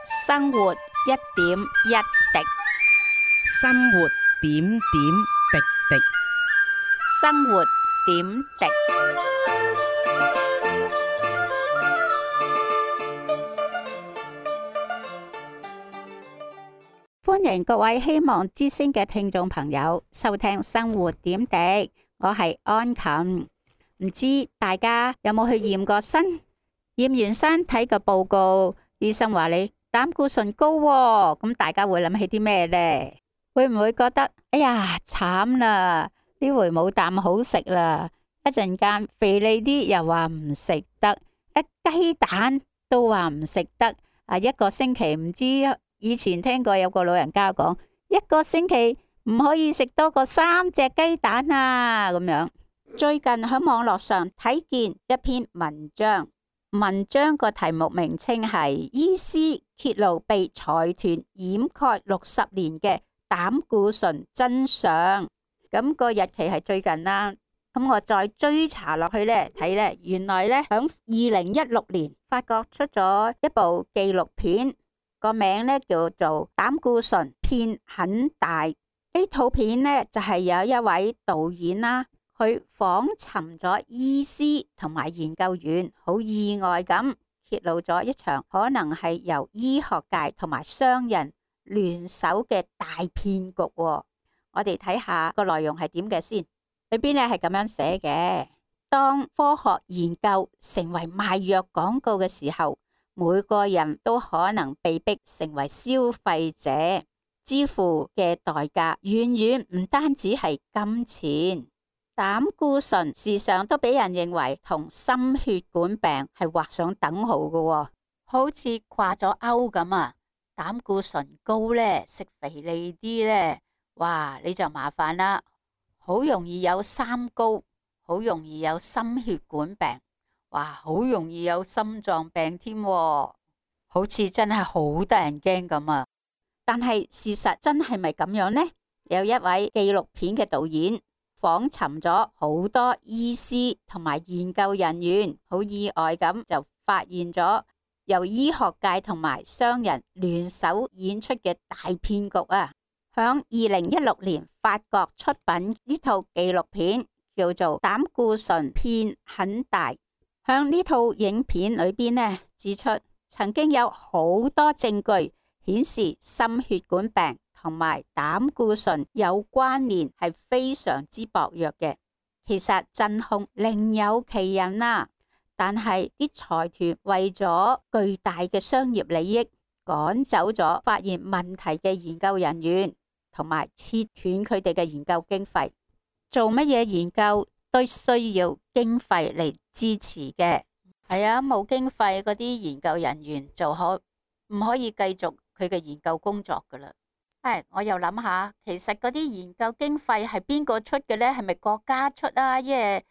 生活一點一滴，生活點點滴滴。生活點滴。歡迎各位希望之聲嘅聽眾朋友收聽生活點滴，我係安琴。唔知大家有冇去驗過身？驗完身睇個報告，醫生話你膽固醇高喎，咁大家會諗起啲咩呢？會唔會覺得哎呀慘啦，呢回冇啖好食啦？一陣間肥膩啲又話唔食得，雞蛋都話唔食得。一個星期唔知，以前聽過有個老人家講，一個星期唔可以食多過3隻雞蛋啊咁樣。最近喺網絡上睇見一篇文章，文章個題目名稱係醫師揭露被財團掩蓋60年嘅膽固醇真相。咁個日期係最近啦。咁我再追查落去呢，睇呢，原來呢，響2016年法國出咗一部紀錄片，個名呢叫做《膽固醇騙很大》。呢套片呢就係有一位導演啦，佢訪尋咗醫師同埋研究員，好意外咁揭露咗一場可能係由醫學界同埋商人聯手嘅大騙局。我哋睇下個內容係點嘅先。裏邊咧係咁樣寫嘅：當科學研究成為賣藥廣告嘅時候，每個人都可能被逼成為消費者，支付嘅代價遠遠唔單止係金錢。膽固醇時常都俾人認為同心血管病係畫上等號嘅，好似掛咗鈎咁啊！膽固醇高呢，食肥膩啲呢，哇，你就麻煩啦。好容易有三高，好容易有心血管病，哇，好容易有心臟病添，好似真係好得人驚咁啊！但係事實真係咪咁樣呢？有一位紀錄片嘅導演訪尋咗好多醫師同埋研究人員，好意外咁就發現咗由醫學界同埋商人聯手演出嘅大騙局啊！響2016年，法國出品呢套紀錄片叫做《膽固醇騙很大》。響呢套影片裏邊呢，指出曾經有好多證據顯示心血管病同埋膽固醇有關聯，係非常之薄弱嘅。其實真兇另有其人啦，但係啲財團為咗巨大嘅商業利益，趕走咗發現問題嘅研究人員，同埋切斷佢哋嘅研究經費。做乜嘢研究都需要經費嚟支持嘅。係啊，冇經費嗰啲研究人員就唔可以繼續佢嘅研究工作噶啦。我又諗下，其實嗰啲研究經費係邊個出嘅呢？係咪國家出啊？因為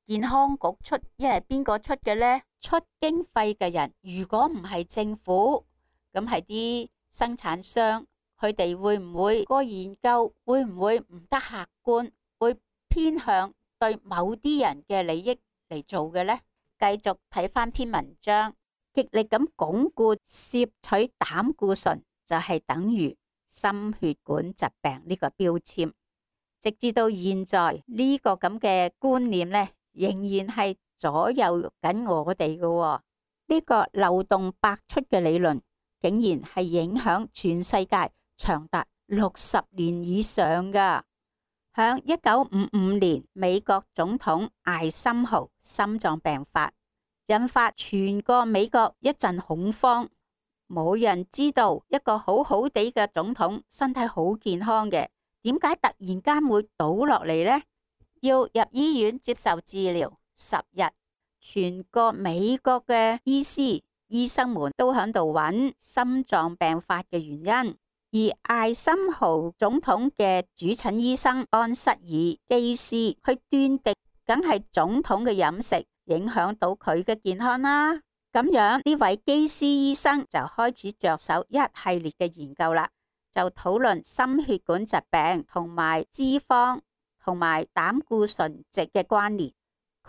健康局出，因為邊個出嘅呢？出經費嘅人如果唔係政府，咁係啲生產商。佢哋會唔會個研究會唔會唔得客觀，會偏向對某啲人嘅利益嚟做嘅呢？繼續睇翻篇文章，極力咁鞏固攝取膽固醇就係等於心血管疾病呢個標籤，直至到現在呢個咁嘅觀念呢，仍然係左右緊我哋嘅。呢個漏洞百出嘅理論，竟然係影響全世界長達60年以上噶。響1955年，美國總統艾森豪心臟病發，引發全個美國一陣恐慌。冇人知道一個好好地嘅總統，身體好健康嘅，點解突然間會倒落嚟呢？要入醫院接受治療10日，全個美國嘅醫生們都喺度揾心臟病發嘅原因。而艾森豪總統嘅主診醫生安瑟爾基斯，去斷定梗係總統嘅飲食影響到佢嘅健康啦。咁樣呢位基斯醫生就開始着手一系列嘅研究啦，就討論心血管疾病同埋脂肪同埋膽固醇值嘅關聯。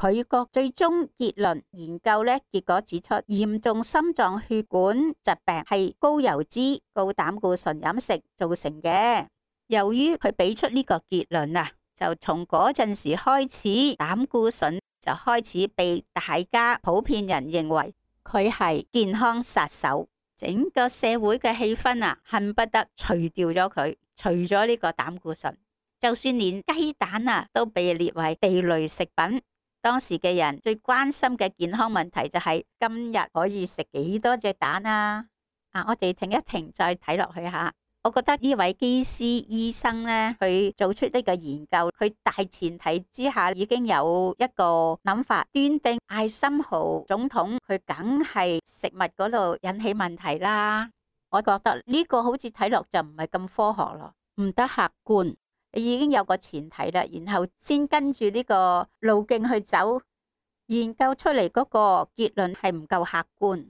佢個最終結論研究呢，結果指出嚴重心臟血管疾病係高油脂、高膽固醇飲食造成嘅。由於佢俾出呢個結論啊，就從嗰陣時開始，膽固醇就開始被大家普遍人認為佢係健康殺手。整個社會嘅氣氛啊，恨不得除掉咗佢，除咗呢個膽固醇，就算連雞蛋啊都被列為地雷食品。當時嘅人最關心嘅健康問題就係今日可以食幾多隻蛋啊！我哋停一停，再睇落去下。我覺得呢位基斯醫生呢，佢做出呢個研究，佢大前提之下已經有一個諗法，斷定艾森豪總統佢梗係食物嗰度引起問題啦。我覺得呢個好似睇落就唔係咁科學咯，唔得客觀。你已經有個前提啦，然後先跟住呢個路徑去走，研究出嚟嗰個結論係唔夠客觀。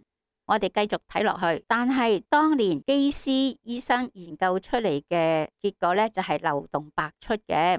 我哋繼續睇落去，但係當年基斯醫生研究出嚟嘅結果呢，就係漏洞百出嘅。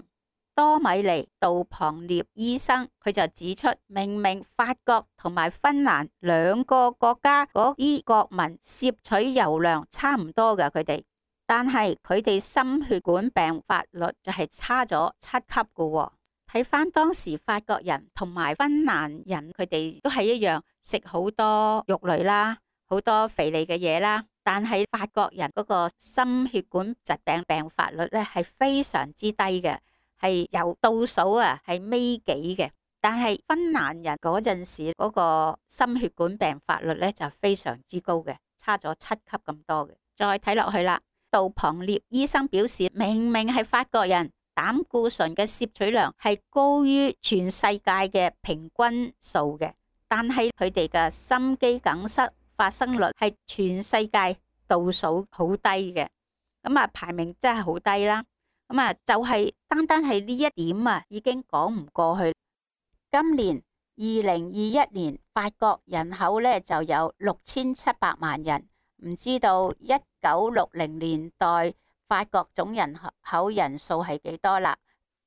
多米尼杜龐涅醫生佢就指出，明明法國同埋芬蘭兩個國家嗰啲國民攝取油量差唔多㗎，佢哋，但係佢哋心血管病發率就係差咗7級㗎喎。睇翻當時法國人同埋芬蘭人，佢哋都係一樣食好多肉類啦，好多肥膩嘅嘢啦。但係法國人嗰個心血管疾病病發率咧係非常之低嘅，係由倒數係尾幾嘅。但係芬蘭人嗰陣時嗰個心血管病發率咧就非常之高嘅，差咗7級咁多嘅。再睇落去啦，杜龐涅醫生表示，明明係法國人膽固醇嘅攝取量係高於全世界嘅平均數嘅，但係佢哋嘅心肌梗塞發生率係全世界倒數好低嘅，排名真係好低啦。就係單單係呢一點已經講唔過去。今年2021年法國人口咧就有6700萬人，唔知道1960年代法國總人口人數係幾多啦？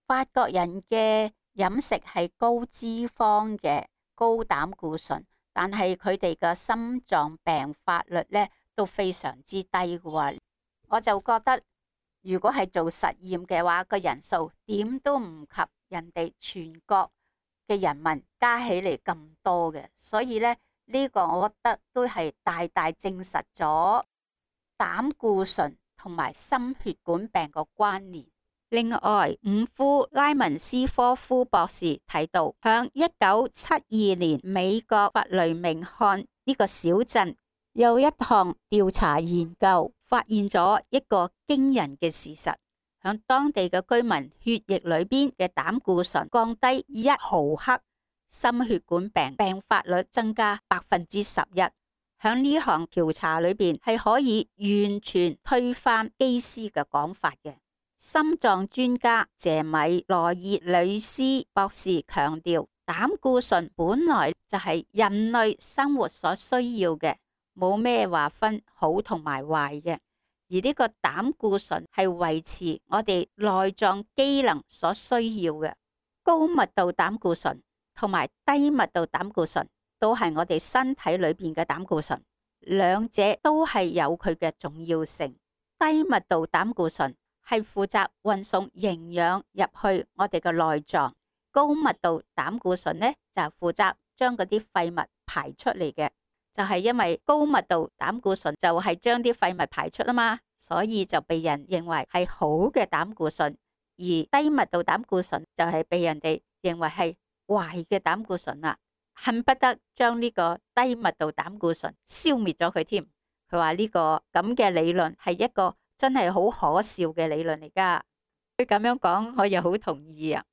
法國人嘅飲食係高脂肪嘅、高膽固醇，但係佢哋嘅心臟病發率咧都非常之低嘅喎。我就覺得如果係做實驗嘅話，個人數點都唔及人哋全國嘅人民加起嚟咁多嘅，所以咧呢個我覺得都係大大證實咗膽固醇同埋心血管病個關聯。另外，伍夫拉文斯科夫博士提到，響1972年美國弗雷明漢呢個小鎮有一項調查研究，發現咗一個驚人嘅事實，響當地嘅居民血液裏邊嘅膽固醇降低1毫克，心血管病病發率增加11%。響呢項調查裏邊係可以完全推翻基斯嘅講法嘅。心臟專家謝米羅爾里斯博士強調，膽固醇本來就係人類生活所需要嘅，冇咩話分好同埋壞嘅。而呢個膽固醇係維持我哋內臟機能所需要嘅。高密度膽固醇同埋低密度膽固醇都係我哋身體裏邊嘅膽固醇，兩者都係有佢嘅重要性。低密度膽固醇係負責運送營養入去我哋嘅內臟，高密度膽固醇呢就負責將嗰啲廢物排出嚟嘅。就係因為高密度膽固醇就係將啲廢物排出啊嘛，所以就被人認為係好嘅膽固醇，而低密度膽固醇就係被人哋認為係壞嘅膽固醇啦，恨不得將呢個低密度膽固醇消滅咗佢添。佢話呢個咁嘅理論係一個真係好可笑嘅理論嚟噶。佢咁樣講，我又好同意啊。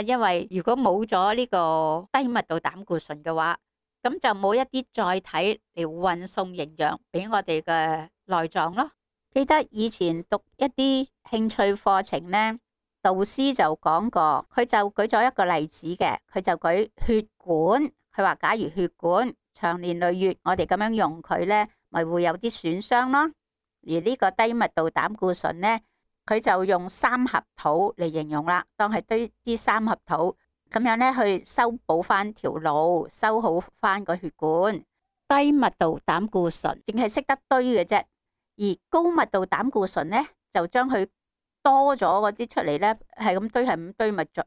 因為如果冇咗呢個低密度膽固醇嘅話，咁就冇一啲載體嚟運送營養俾我哋嘅內臟咯。記得以前讀一啲興趣課程呢，導師就講過，佢就舉咗一個例子嘅，佢就舉血管，佢話假如血管長年累月我哋咁樣用佢呢，咪會有啲損傷咯。而呢個低密度膽固醇呢，佢就用三合土嚟形容啦，當係堆啲三合土，咁樣呢去修補翻條路，修好翻個血管。低密度膽固醇淨係識得堆嘅啫，而高密度膽固醇呢，就將佢多咗嗰啲出嚟呢，係咁堆係咁堆，咪着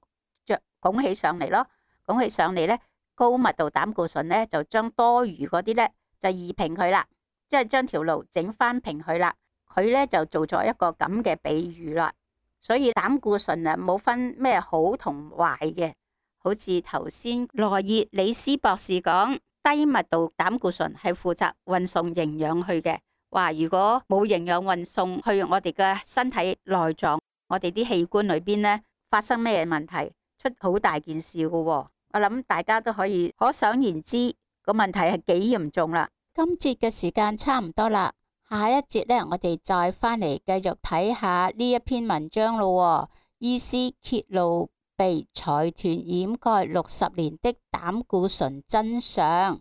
拱起上嚟咯，拱起上嚟呢，高密度膽固醇呢，就將多餘嗰啲呢，就移平佢啦，即係將條路整翻平佢啦。佢呢，就做咗一個咁嘅比喻啦。所以膽固醇啊冇分咩好同壞嘅，好似頭先羅熱里斯博士講，低密度膽固醇係負責運送營養去嘅。話如果冇營養運送去我哋嘅身體內臟，我哋啲器官裏邊呢，發生咩問題，出好大件事㗎喎。我諗大家都可以可想而知個問題係幾嚴重啦。今節嘅時間差唔多啦，下一節呢，我哋再翻嚟繼續睇下呢一篇文章咯。醫師揭露被財團掩蓋60年的膽固醇真相。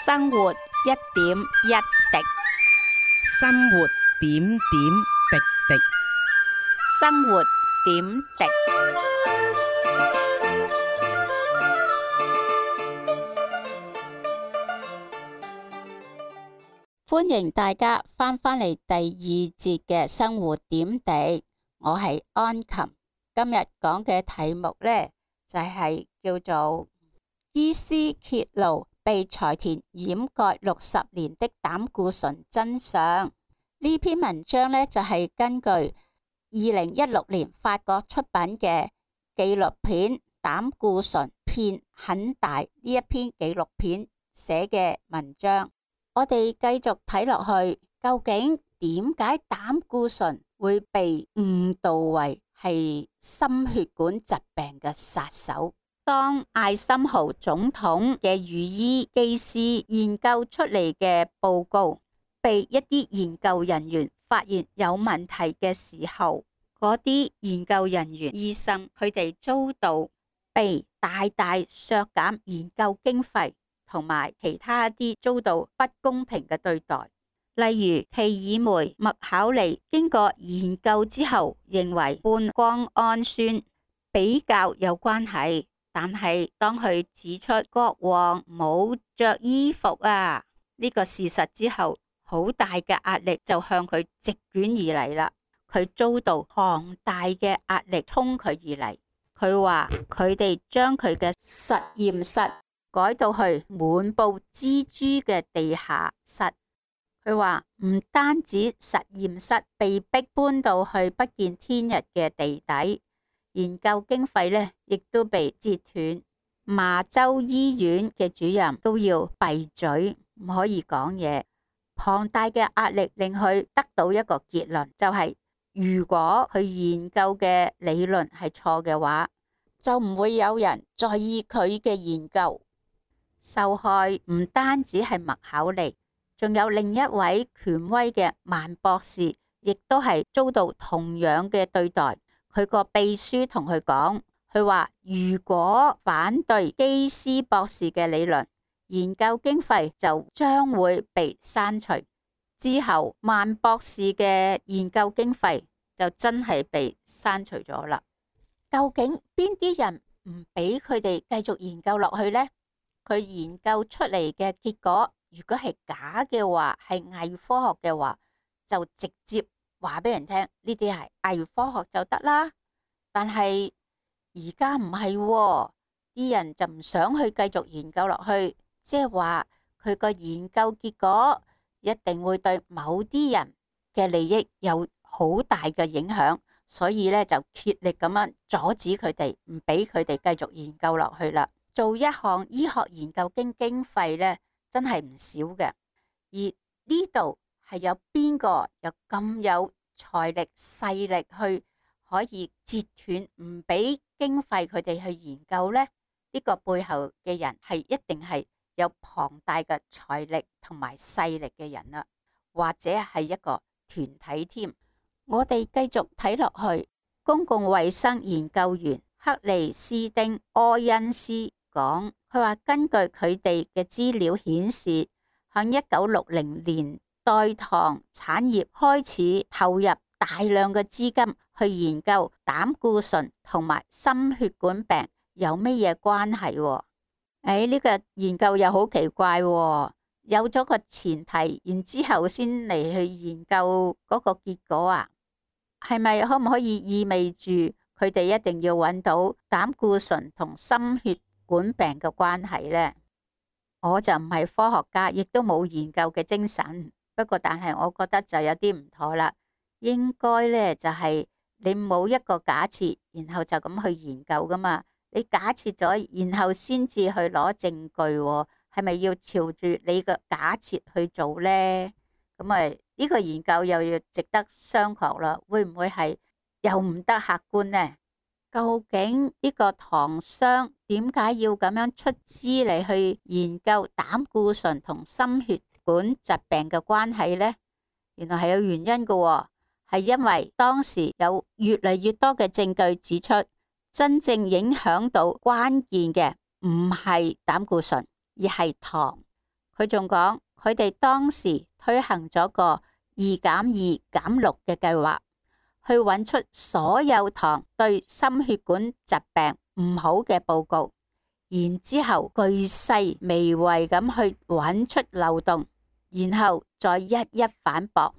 生活一點一滴，生活點點滴滴，生活點滴。歡迎大家翻嚟第二節嘅生活點滴，我係安琴。今日講嘅題目呢，就係叫做醫師揭露被財團掩蓋60年的膽固醇真相。呢篇文章呢，就係根據2016年法國出版嘅紀錄片《膽固醇騙很大》呢一篇紀錄片寫嘅文章。我哋繼續睇落去，究竟點解膽固醇會被誤導為係心血管疾病嘅殺手？當艾森豪總統嘅御醫技師研究出嚟嘅報告被一啲研究人員發現有問題嘅時候，嗰啲研究人員醫生佢哋遭到被大大削減研究經費，同埋其他一啲遭到不公平嘅對待。例如奇爾梅麥考利經過研究之後認為半胱氨酸比較有關係，但係當佢指出國王冇着衣服呢個事實之後，好大嘅壓力就向佢席捲而嚟啦。佢遭到龐大嘅壓力衝佢而嚟。佢話佢哋將佢嘅實驗室改到去滿布蜘蛛嘅地下室。佢話唔單止實驗室被逼搬到去不見天日嘅地底，研究經費呢亦都被截斷。麻州醫院嘅主任都要閉嘴，唔可以講嘢。龐大嘅壓力令佢得到一個結論，就係如果佢研究嘅理論係錯嘅話，就唔會有人在意佢嘅研究。受害唔單止係麥考利，仲有另一位權威嘅曼博士，亦都係遭到同樣嘅對待。佢個秘書同佢講，佢話如果反對基斯博士嘅理論，研究經費就將會被刪除。之後曼博士嘅研究經費就真係被刪除咗啦。究竟邊啲人唔俾佢哋繼續研究落去呢？佢研究出嚟嘅結果，如果係假嘅話，係偽科學嘅話，就直接話俾人聽呢啲係偽科學就得啦。但係而家唔係喎，啲人就唔想去繼續研究落去，即係話佢個研究結果一定會對某啲人嘅利益有好大嘅影響，所以咧就竭力咁樣阻止佢哋，唔俾佢哋繼續研究落去啦。做一項醫學研究經費咧，真係唔少嘅。而呢度係有邊個有咁有財力勢力去可以截斷唔俾經費佢哋去研究呢？呢個背後嘅人係一定係有龐大嘅財力同埋勢力嘅人啦，或者係一個團體添。我哋繼續睇落去，公共衛生研究員克里斯丁柯恩斯講，佢話根據佢哋嘅資料顯示，喺1960年代糖產業開始投入大量嘅資金去研究膽固醇同埋心血管病有乜嘢關係喎？呢個研究又好奇怪喎，有咗個前提，然之後先嚟去研究嗰個結果啊？係咪可唔可以意味住佢哋一定要揾到膽固醇同心血管病嘅關係呢？我就唔係科學家，亦都冇研究嘅精神。不過但係我覺得就有啲唔妥啦。應該呢，就係你冇一個假設，然後就咁去研究噶嘛。你假設咗，然後先至去攞證據喎，係咪要朝住你個假設去做呢？咁啊，呢個研究又要值得商榷啦。會唔會係又唔得客觀呢？究竟呢個糖商點解要咁樣出資嚟去研究膽固醇同心血管疾病嘅關係呢？原來係有原因嘅喎，係因為當時有越嚟越多嘅證據指出，真正影響到關鍵嘅唔係膽固醇，而係糖。佢仲講，佢哋當時推行咗個2+2+6嘅計劃，去揾出所有糖對心血管疾病唔好嘅報告，然之後巨細微微咁去揾出漏洞，然後再一一反駁。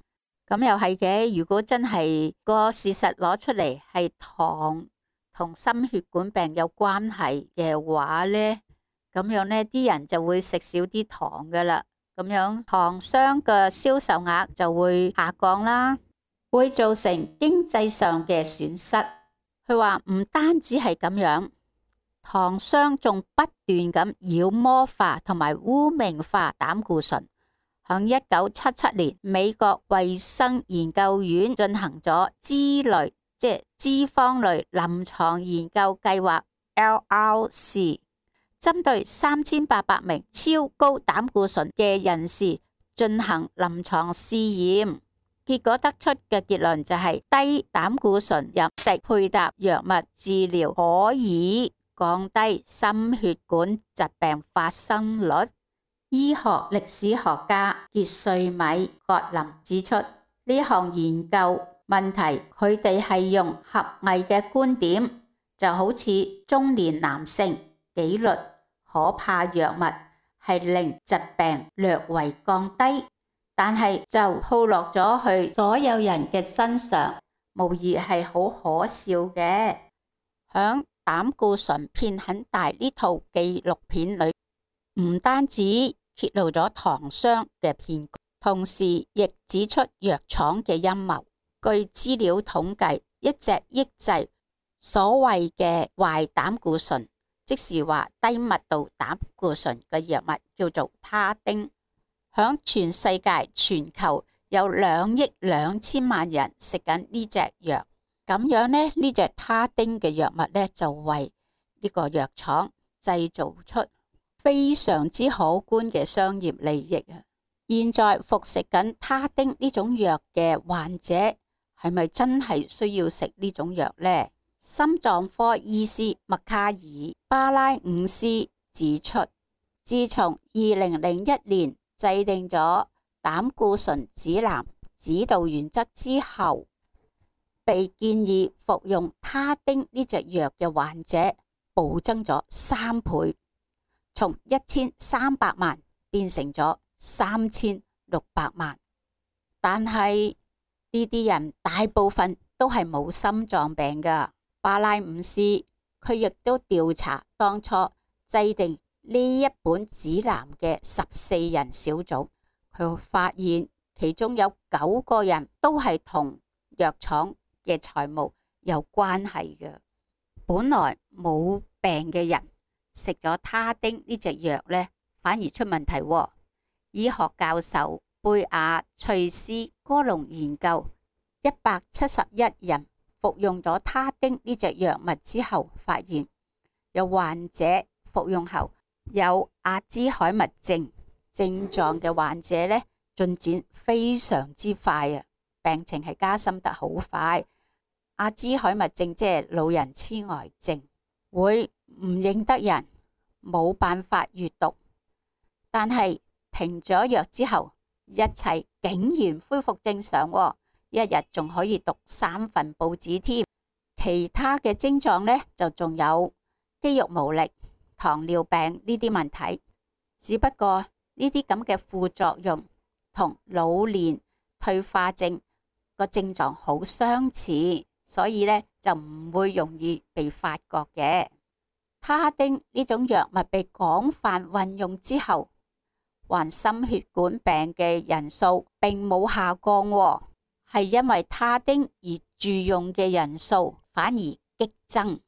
咁又係嘅，如果真係個事實攞出嚟係糖同心血管病有關係嘅話呢，咁樣呢啲人就會食少啲糖噶啦，咁樣糖商嘅銷售額就會下降啦，會造成經濟上嘅損失。佢話唔單止係咁樣，糖商仲不斷咁妖魔化同埋污名化膽固醇。喺1977年，美國衛生研究院進行咗脂類，即係脂肪類臨床研究計劃 LRC， 針對3800名超高膽固醇嘅人士進行臨床試驗，結果得出嘅結論就係低膽固醇飲食配搭藥物治療可以降低心血管疾病發生率。醫學歷史學家傑瑞米葛林指出，呢項研究問題，佢哋係用狹隘嘅觀點，就好似中年男性紀律可怕藥物係令疾病略為降低，但係就套落咗去所有人嘅身上，無疑係好可笑嘅。響膽固醇片很大呢套紀錄片裏，唔單止揭露咗糖商嘅騙局，同時亦指出藥廠嘅陰謀。據資料統計，一隻抑制所謂嘅壞膽固醇，即是話低密度膽固醇嘅藥物叫做他汀，響全世界全球有2億2千萬人食緊呢隻藥。咁樣呢，呢隻他汀嘅藥物呢，就為呢個藥廠製造出非常之可觀嘅商業利益啊！現在服食緊他汀呢種藥嘅患者係咪真係需要食呢種藥呢？心臟科醫師麥卡爾巴拉伍斯指出，自從2001年制定咗膽固醇指南指導原則之後，被建議服用他汀呢隻藥嘅患者暴增咗3倍。從1300萬變成咗3600萬，但係呢啲人大部分都係冇心臟病噶。巴拉伍斯佢亦都調查當初制定呢一本指南嘅14人小組，佢發現其中有9個人都係同藥廠嘅財務有關係嘅。本來冇病嘅人食咗他汀呢隻藥呢，反而出問題喎。醫學教授貝亞瑞斯哥隆研究171人服用咗他汀呢隻藥物之後，發現有患者服用後有阿茲海默症症狀嘅患者呢，進展非常之快啊，病情係加深得好快。阿茲海默症即係老人痴呆症，會唔認得人，冇辦法閱讀，但係停咗藥之後，一切竟然恢復正常喎。一日仲可以讀3份報紙添。其他嘅症狀呢，就仲有肌肉無力、糖尿病呢啲問題。只不過呢啲咁嘅副作用同老年退化症個症狀好相似，所以呢就唔會容易被發覺嘅。他汀呢種藥物被廣泛運用之後，患心血管病嘅人數並冇下降喎，係因為他汀而住用嘅人數反而激增。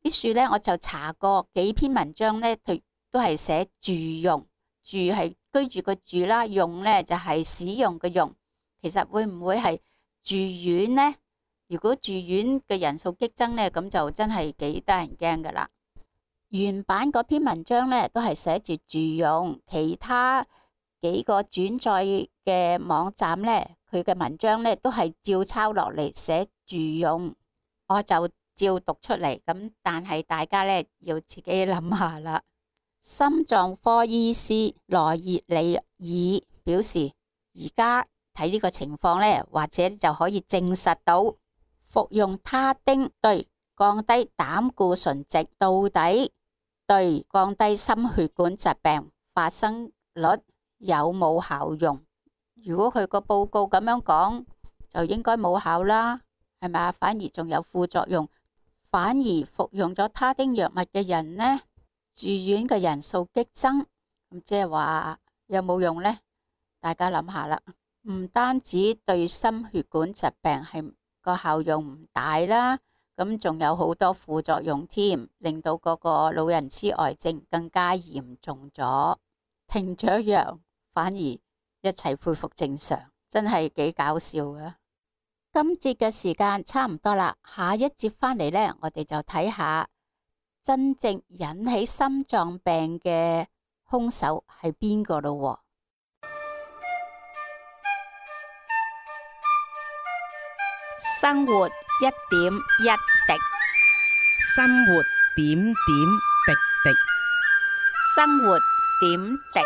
啲書呢，我就查過幾篇文章呢，佢都係寫住用，住係居住個住啦，用呢就係使用嘅用。其實會唔會係住院呢？如果住院嘅人數激增呢，咁就真係幾得人驚噶啦。原版嗰篇文章呢，都係寫住住用，其他幾個轉載嘅網站呢，佢嘅文章呢都係照抄落嚟寫住用，我就照讀出嚟。咁但係大家呢要自己諗下啦。心臟科醫師羅熱里爾表示，而家睇呢個情況呢，或者就可以證實到服用他汀對降低膽固醇值到底對降低心血管疾病發生率有冇效用？如果佢個報告咁樣講，就應該冇效啦，係咪？反而仲有副作用，反而服用咗他汀藥物嘅人呢，住院嘅人數激增，咁即係話有冇用呢？大家諗下啦，唔單止對心血管疾病係個效用唔大啦，咁仲有好多副作用添，令到嗰個老人痴呆症更加嚴重咗。停咗藥，反而一切恢復正常，真係幾搞笑㗎。今節嘅時間差唔多啦，下一節返嚟呢，我哋就睇下真正引起心臟病嘅兇手係邊個咯。生活一點一滴，生活點點滴滴，生活點滴。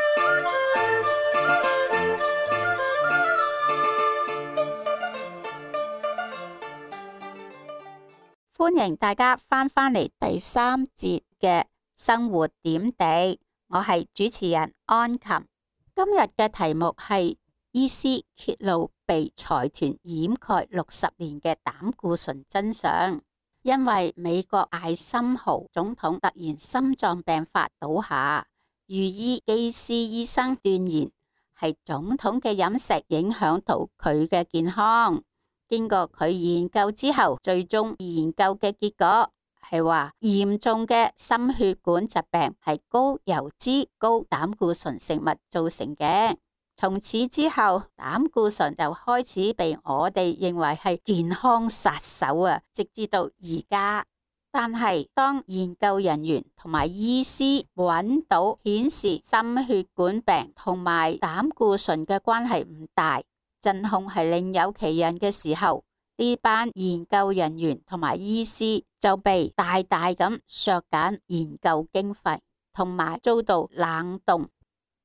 歡迎大家返嚟第3節嘅生活點滴，我係主持人安琴。今日嘅題目係醫師揭露被財團掩蓋60年嘅膽固醇真相。因為美國艾森豪總統突然心臟病發倒下，御醫基斯醫生斷言係總統嘅飲食影響到佢嘅健康。經過佢研究之後，最終研究嘅結果係話嚴重嘅心血管疾病係高油脂、高膽固醇食物造成嘅。從此之後，膽固醇就開始被我哋認為係健康殺手啊，直至到而家。但係當研究人員同埋醫師揾到顯示心血管病同埋膽固醇嘅關係唔大，真空係另有其人嘅時候，呢班研究人員同埋醫師就被大大咁削減研究經費，同埋遭到冷凍。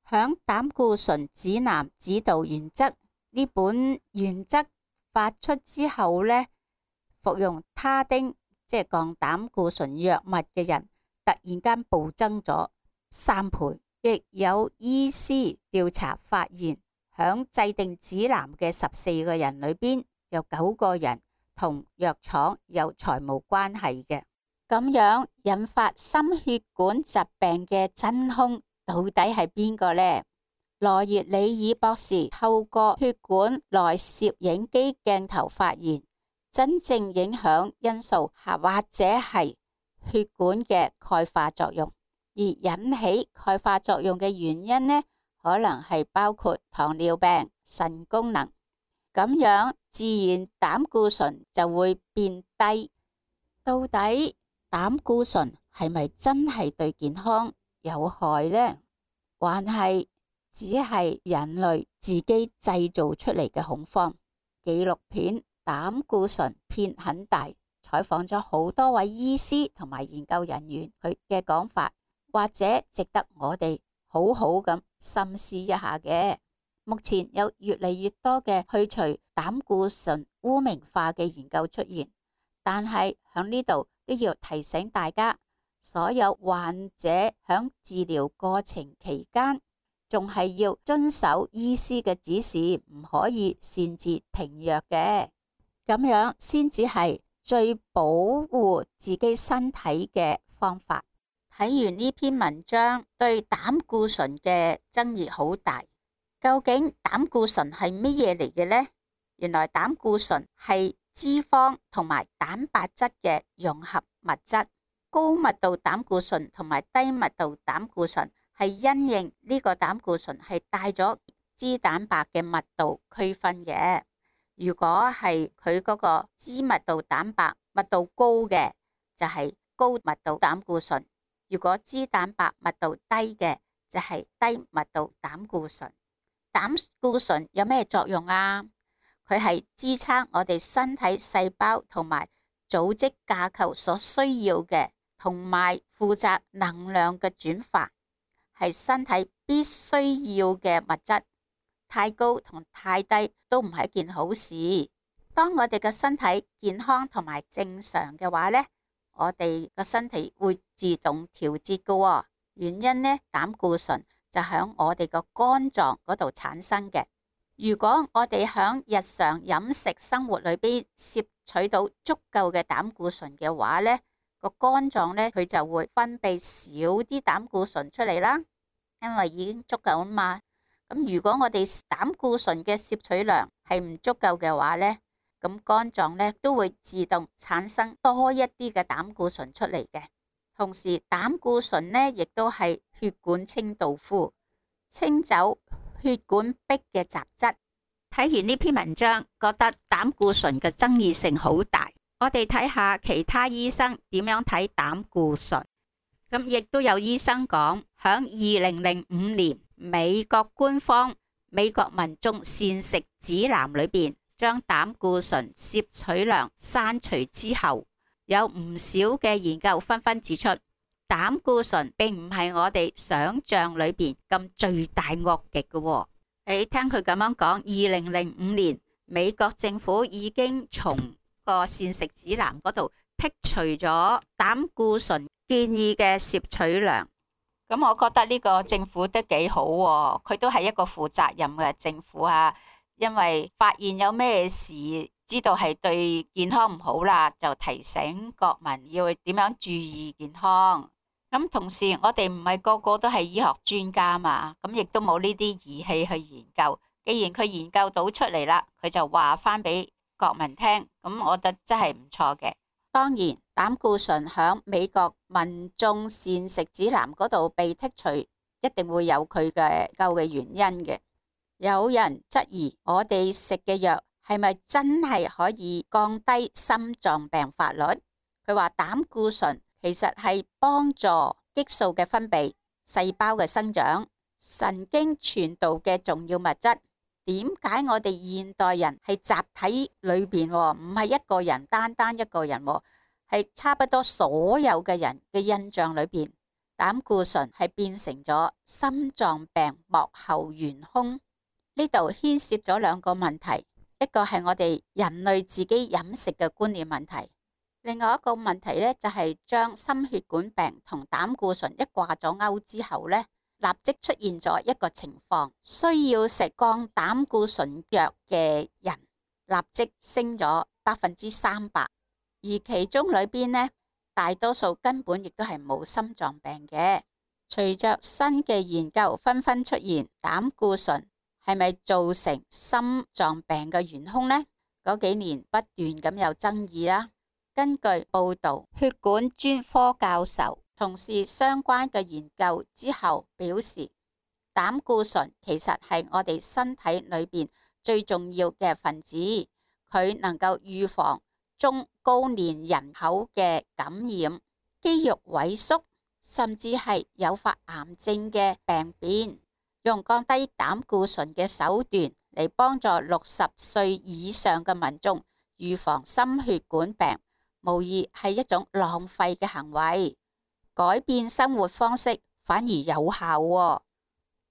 響膽固醇指南指導原則呢本原則發出之後呢，服用他汀即係降膽固醇藥物嘅人突然間暴增咗3倍。亦有醫師調查發現，響制定指南嘅14個人裏邊，有9個人同藥廠有財務關係嘅。咁樣引發心血管疾病嘅真兇到底係邊個呢？羅熱里爾博士透過血管內攝影機鏡頭發現，真正影響因素或者係血管嘅鈣化作用，而引起鈣化作用嘅原因呢，可能係包括糖尿病、腎功能，咁樣自然膽固醇就會變低。到底膽固醇係咪真係對健康有害呢？還係只係人類自己製造出嚟嘅恐慌？紀錄片《膽固醇片很大》採訪咗好多位醫師同埋研究人員，佢嘅講法或者值得我哋好好咁深思一下嘅。目前有越嚟越多嘅去除膽固醇污名化嘅研究出現，但係喺呢度都要提醒大家，所有患者喺治療過程期間，仲係要遵守醫師嘅指示，唔可以擅自停藥嘅，咁樣先至係最保護自己身體嘅方法。睇完呢篇文章，對膽固醇嘅爭議好大。究竟膽固醇係乜嘢嚟嘅呢？原來膽固醇係脂肪同埋蛋白質嘅融合物質。高密度膽固醇同埋低密度膽固醇係因應呢個膽固醇係帶咗脂蛋白嘅密度區分嘅。如果係佢嗰個脂密度蛋白密度高嘅，就係高密度膽固醇；如果脂蛋白密度低嘅，就係低密度膽固醇。膽固醇有咩作用啊？佢係支撐我哋身體細胞同埋組織架構所需要嘅，同埋負責能量嘅轉化，係身體必須要嘅物質。太高同太低都唔係一件好事。當我哋嘅身體健康同埋正常嘅話呢，我哋個身體會自動調節嘅。原因呢，膽固醇就喺我哋個肝臟嗰度產生嘅。如果我哋喺日常飲食生活裏邊攝取到足夠嘅膽固醇嘅話呢，個肝臟呢，佢就會分泌少啲膽固醇出嚟啦，因為已經足夠啊嘛。咁如果我哋膽固醇嘅攝取量係唔足夠嘅話呢，咁肝臟呢都會自動產生多一啲嘅膽固醇出嚟嘅。同時膽固醇呢亦都係血管清道夫，清走血管壁嘅雜質。睇完呢篇文章，覺得膽固醇嘅爭議性好大。我哋睇下其他醫生點樣睇膽固醇。咁亦都有醫生講，響2005年美國官方美國民眾膳食指南裏邊，將膽固醇攝取量刪除之後，有唔少嘅研究紛紛指出，膽固醇並唔係我哋想象裏邊咁罪大惡極嘅。你聽佢咁樣講，2005年美國政府已經從個膳食指南嗰度剔除咗膽固醇建議嘅攝取量。咁我覺得呢個政府都幾好喎，佢都係一個負責任嘅政府啊，因為發現有咩事，知道係對健康唔好啦，就提醒國民要點樣注意健康。咁同時我哋唔係個個都係醫學專家嘛，咁亦都冇呢啲儀器去研究。既然佢研究到出嚟啦，佢就話翻俾國民聽，咁我覺得真係唔錯嘅。當然膽固醇響美國民眾膳食指南嗰度被剔除，一定會有佢嘅究嘅原因嘅。有人質疑我哋食嘅藥係咪真係可以降低心臟病發率？佢話膽固醇其實係幫助激素嘅分泌、細胞嘅生長、神經傳導嘅重要物質。點解我哋現代人係集體裏邊，唔係一個人單單一個人，係差不多所有嘅人嘅印象裏邊，膽固醇係變成咗心臟病幕後元兇。呢度牽涉咗兩個問題，一個係我哋人類自己飲食嘅觀念問題，另外一個問題呢，就係將心血管病同膽固醇一掛咗鈎之後呢，立即出現咗一個情況，需要食降膽固醇藥嘅人立即升咗300%，而其中裏邊呢，大多數根本亦都係冇心臟病嘅。隨着新嘅研究紛紛出現，膽固醇係咪造成心臟病嘅元兇呢？嗰幾年不斷咁有爭議啦。根據報道，血管專科教授從事相關嘅研究之後表示，膽固醇其實係我哋身體裏邊最重要嘅分子，佢能夠預防中高年人口嘅感染、肌肉萎縮，甚至係誘發癌症嘅病變。用降低膽固醇嘅手段嚟幫助60歲以上嘅民眾預防心血管病，無疑係一種浪費嘅行為。改變生活方式反而有效喎。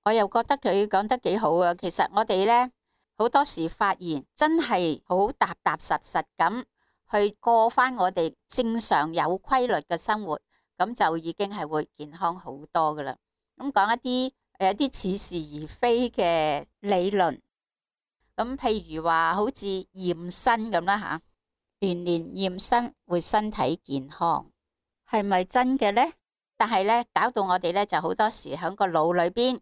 我又覺得佢講得幾好啊。其實我哋呢，好多時發現真係好踏踏實實咁去過翻我哋正常有規律嘅生活，咁就已經係會健康好多噶啦。咁講一啲似是而非嘅理論，咁譬如話好似驗身咁啦吓，年年驗身會身體健康，係咪真嘅呢？但係呢，搞到我哋呢就好多時喺個腦裏邊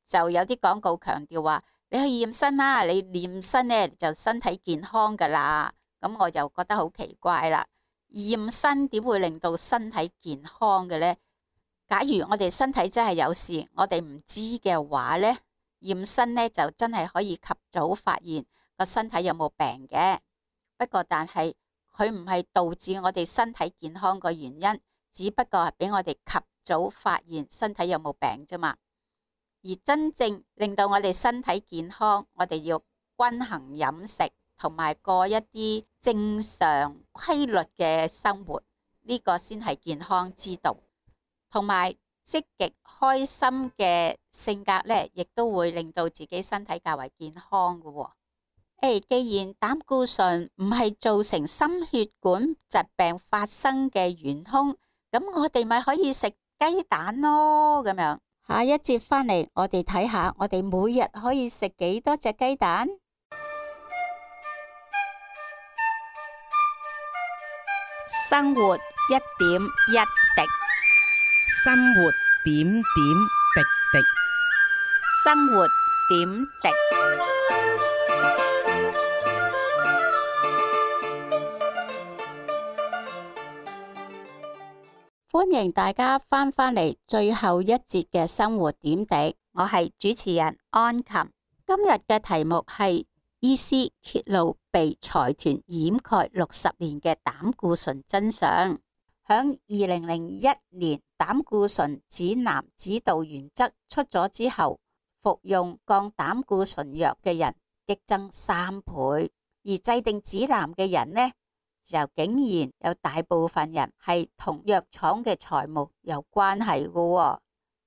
就有啲廣告強調話，你去驗身啦，你驗身呢就身體健康噶啦。咁我就覺得好奇怪啦，驗身點會令到身體健康嘅呢？假如我哋身體真係有事，我哋唔知嘅話呢，驗身呢就真係可以及早發現個身體有冇病嘅。不過但係佢唔係導致我哋身體健康個原因，只不過係俾我哋及早發現身體有冇病啫嘛。而真正令到我哋身體健康，我哋要均衡飲食，同埋過一啲正常規律嘅生活，呢個先係健康之道。同埋積極開心嘅性格呢，亦都會令到自己身體較為健康嘅。既然膽固醇唔係造成心血管疾病發生嘅元兇，咁我哋咪可以食雞蛋咯。咁樣下一節返嚟，我哋睇下我哋每日可以食幾多隻雞蛋。生活一點一滴，生活點點滴滴。生活點滴。歡迎大家返嚟最後一節嘅生活點滴，我係主持人安琴。今日嘅題目係醫師揭露被財團掩蓋60年嘅膽固醇真相。響2001年膽固醇指南指導原則出咗之後，服用降膽固醇藥嘅人激增3倍，而制定指南嘅人呢，就竟然有大部分人係同藥廠嘅財務有關係嘅喎。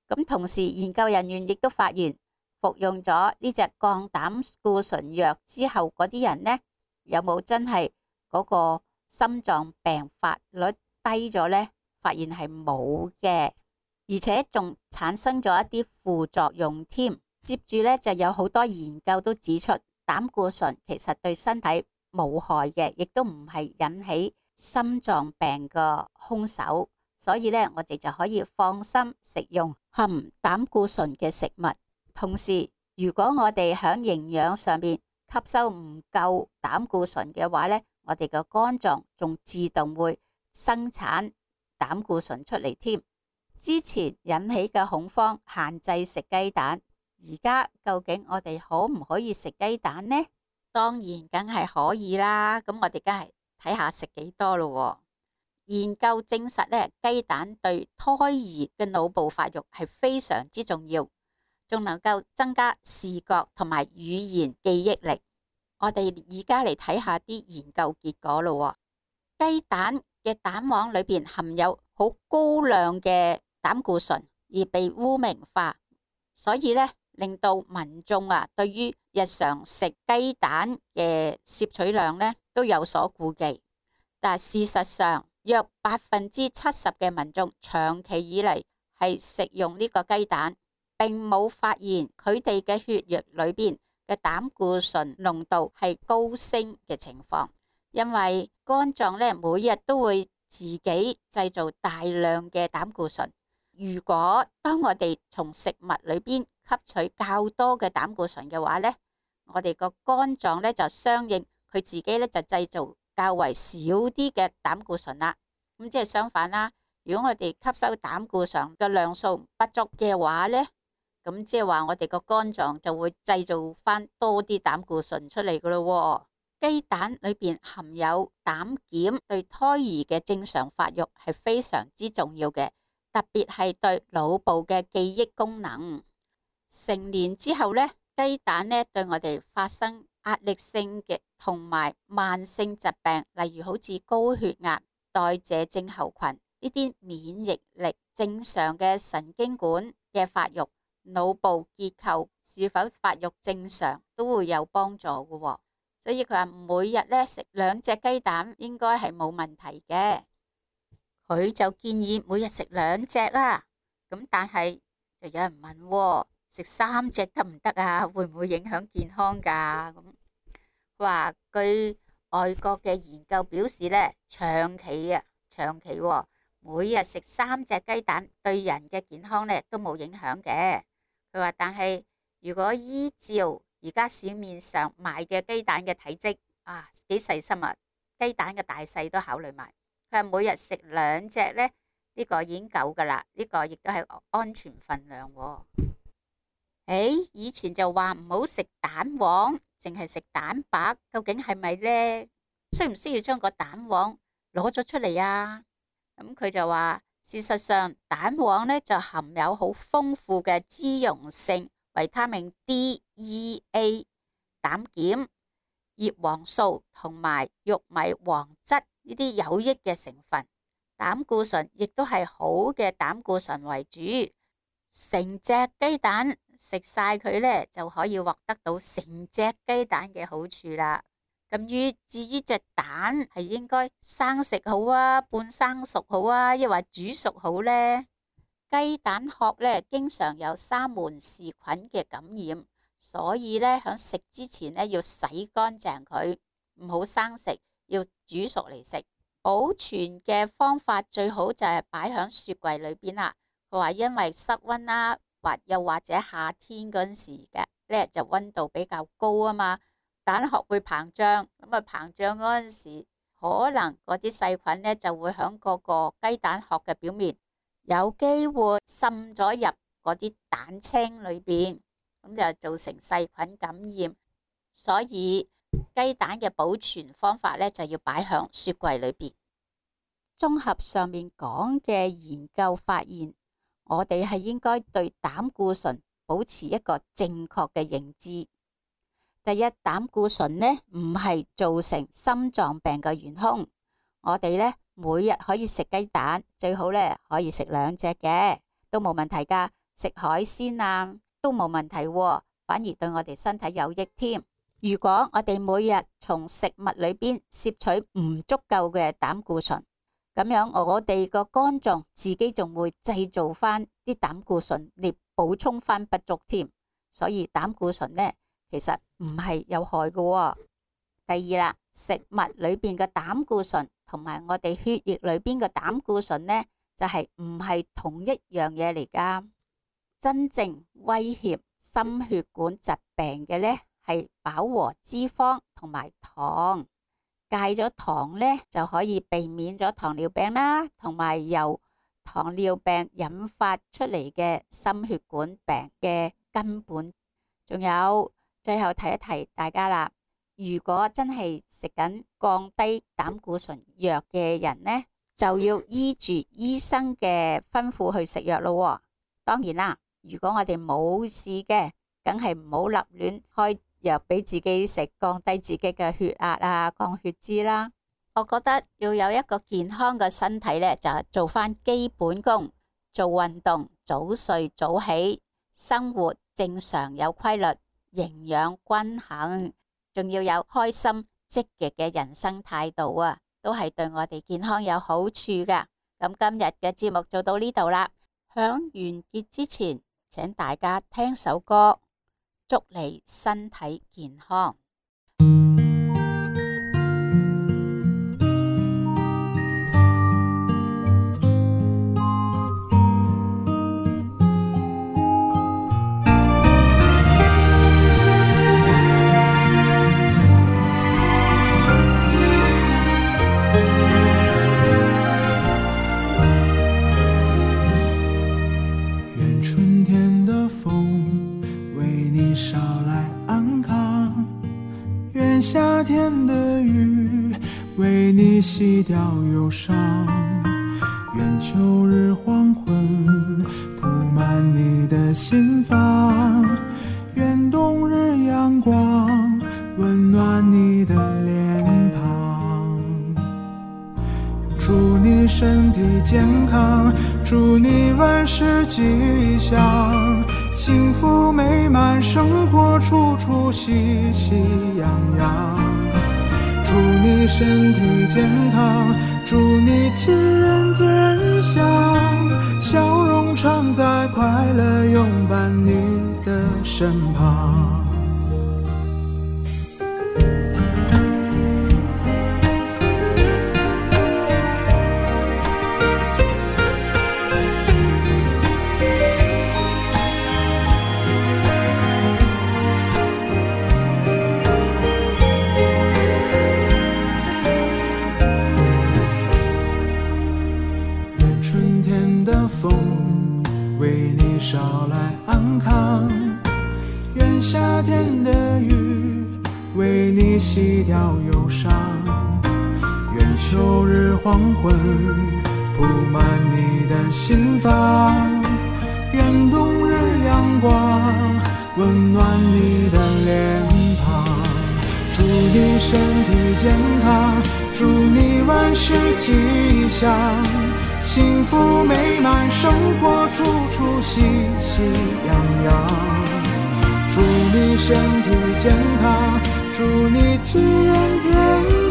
咁同時研究人員亦都發現，服用咗呢隻降膽固醇藥之後嗰啲人呢，有冇真係嗰個心臟病發率低咗呢？發現係冇嘅，而且仲產生咗一啲副作用添。接住呢，就有好多研究都指出，膽固醇其實對身體無害嘅，亦都唔係引起心臟病嘅兇手，所以呢，我哋就可以放心食用含膽固醇嘅食物。同時，如果我哋喺營養上面吸收唔夠膽固醇嘅話呢，我哋嘅肝臟仲自動會生產膽固醇出嚟添。之前引起嘅恐慌，限制食雞蛋，而家究竟我哋可唔可以食雞蛋呢？當然梗係可以啦，咁我哋梗係睇下食幾多咯。研究證實呢，雞蛋對胎兒嘅腦部發育係非常之重要，仲能夠增加視覺同埋語言記憶力。我哋而家嚟睇下啲研究結果咯。雞蛋嘅蛋黃裏邊含有好高量嘅膽固醇，而被污名化，所以呢，令到民眾對於日常食雞蛋嘅攝取量呢都有所顧忌。但事實上，約70%嘅民眾長期以嚟係食用呢個雞蛋，並冇發現佢哋嘅血液裏邊嘅膽固醇濃度係高升嘅情況。因為肝臟呢每日都會自己製造大量嘅膽固醇。如果當我哋從食物裏邊吸取較多嘅膽固醇嘅話呢，我哋個肝臟呢就相應佢自己呢就製造較為少啲嘅膽固醇啦。咁即係相反啦，如果我哋吸收膽固醇嘅量數不足嘅話呢，咁即係話我哋個肝臟就會製造翻多啲膽固醇出嚟噶咯。雞蛋裏邊含有膽鹼，對胎兒嘅正常發育係非常之重要嘅，特別係對腦部嘅記憶功能。成年之後呢，雞蛋呢對我哋發生壓力性嘅同埋慢性疾病，例如好似高血壓、代謝症候群呢啲免疫力正常嘅神經管嘅發育腦部結構是否發育正常都會有幫助嘅喎。所以佢話每日咧食2隻雞蛋應該係冇問題嘅。佢就建議每日食2隻啊。咁但係就有人問喎，食3隻得唔得啊？會唔會影響健康㗎？咁話據外國嘅研究表示咧，長期喎，每日食3隻雞蛋對人嘅健康咧都冇影響嘅。佢話但係如果依照而家市面上賣嘅雞蛋嘅體積啊，幾細心啊，雞蛋嘅大細都考慮埋。佢話每日食2隻咧，呢個已經夠噶啦，呢個亦都係安全份量喎。以前就話唔好食蛋黃，淨係食蛋白，究竟係咪呢？需唔需要將個蛋黃攞咗出嚟啊？咁佢就話，事實上蛋黃呢就含有好豐富嘅脂溶性維他命 D、E、A、膽鹼、葉黃素同埋玉米黃質呢啲有益嘅成分。膽固醇亦都係好嘅膽固醇為主，成隻雞蛋食晒佢呢，就可以獲得到成隻雞蛋嘅好處啦。咁至於隻蛋係應該生食好啊，半生熟好啊，抑或煮熟好呢？雞蛋殼呢經常有沙門氏菌嘅感染，所以呢，響食之前呢要洗乾淨佢，唔好生食，要煮熟嚟食。保存嘅方法最好就係擺響雪櫃裏邊啦。佢話因為室溫啦，又或者夏天嗰陣時嘅咧就溫度比較高啊嘛，蛋殼會膨脹，咁啊膨脹嗰陣時，可能嗰啲細菌咧就會響嗰個雞蛋殼嘅表面，有機會滲咗入嗰啲蛋清裏邊，咁就造成細菌感染。所以雞蛋嘅保存方法咧就要擺響雪櫃裏邊。綜合上面講嘅研究發現，我哋係應該對膽固醇保持一個正確嘅認知。第一，膽固醇呢唔係造成心臟病嘅元兇。我哋呢每日可以食雞蛋，最好呢可以食2隻嘅，都冇問題噶。食海鮮啊都冇問題，反而對我哋身體有益添。如果我哋每日從食物裏邊攝取唔足夠嘅膽固醇，咁樣我哋個肝臟自己仲會製造翻啲膽固醇嚟補充翻不足添。所以膽固醇呢其實唔係有害嘅。第二啦，食物裏邊嘅膽固醇同埋我哋血液裏邊嘅膽固醇呢就係唔係同一樣嘢嚟噶。真正威脅心血管疾病嘅呢係飽和脂肪同埋糖。戒咗糖呢就可以避免咗糖尿病啦，同埋由糖尿病引發出嚟嘅心血管病嘅根本。仲有最後提一提大家啦，如果真係食緊降低膽固醇藥嘅人呢，就要依住醫生嘅吩咐去食藥咯。當然啦，如果我哋冇事嘅，梗係唔好立亂開藥俾自己食，降低自己嘅血壓啊，降血脂啦。我覺得要有一個健康嘅身體呢，就係做翻基本功，做運動，早睡早起，生活正常有規律，營養均衡，仲要有開心積極嘅人生態度啊，都係對我哋健康有好處噶。咁今日嘅節目做到呢度啦，響完結之前，請大家聽首歌，祝你身體健康。夏天的雨为你洗掉忧伤，愿秋日黄昏铺满你的心房，愿冬日阳光温暖你的脸庞。祝你身体健康，祝你万事吉祥，幸福美满生活处处喜喜洋洋。祝你身体健康，祝你吉人天相，笑容常在，快乐拥伴你的身旁。为你捎来安康，愿夏天的雨为你洗掉忧伤，愿秋日黄昏铺满你的心房，愿冬日阳光温暖你的脸庞。祝你身体健康，祝你万事吉祥，幸福美满生活处处喜喜洋洋。祝你身体健康，祝你吉人天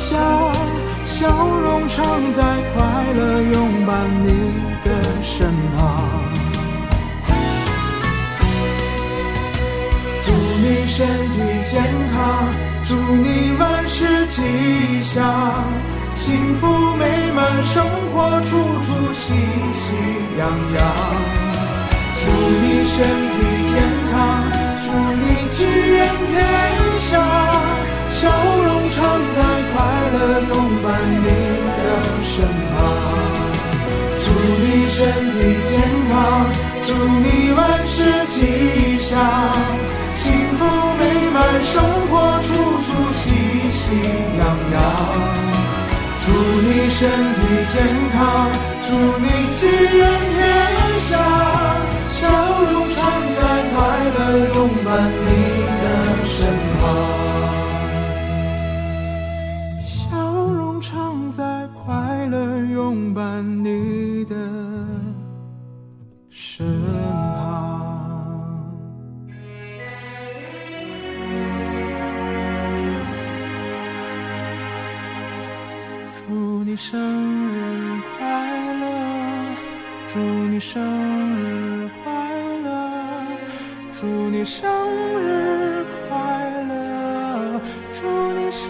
相，笑容常在，快乐拥伴你的身旁。祝你身体健康，祝你万事吉祥，幸福美满生活处处喜喜洋洋。祝你身体健康，祝你吉人天相，笑容常在，快乐拥伴你的身旁。祝你身体健康，祝你万事吉祥，幸福美满生活处处喜喜洋洋。祝你身体健康，祝你吉人天相，笑容常在，快乐拥伴你的身旁。笑容常在，快乐拥伴你的身旁。祝你生日快乐，祝你生日快乐，祝你生日快乐，祝你生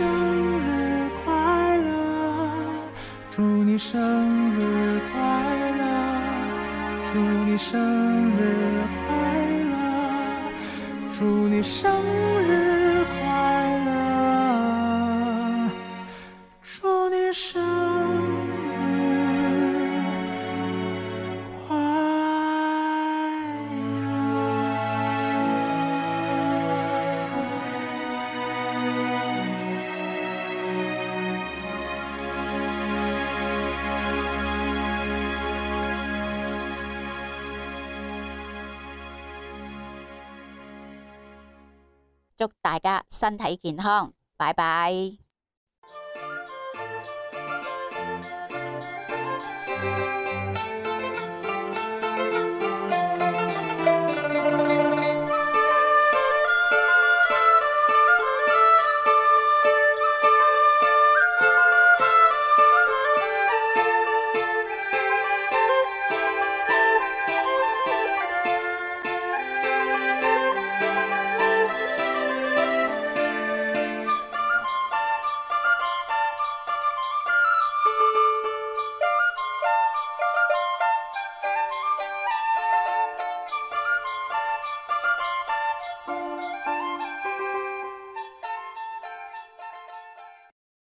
日快乐，祝你生日快乐，祝你生日快乐，祝你生日快乐，祝你生日快祝大家身體健康，拜拜。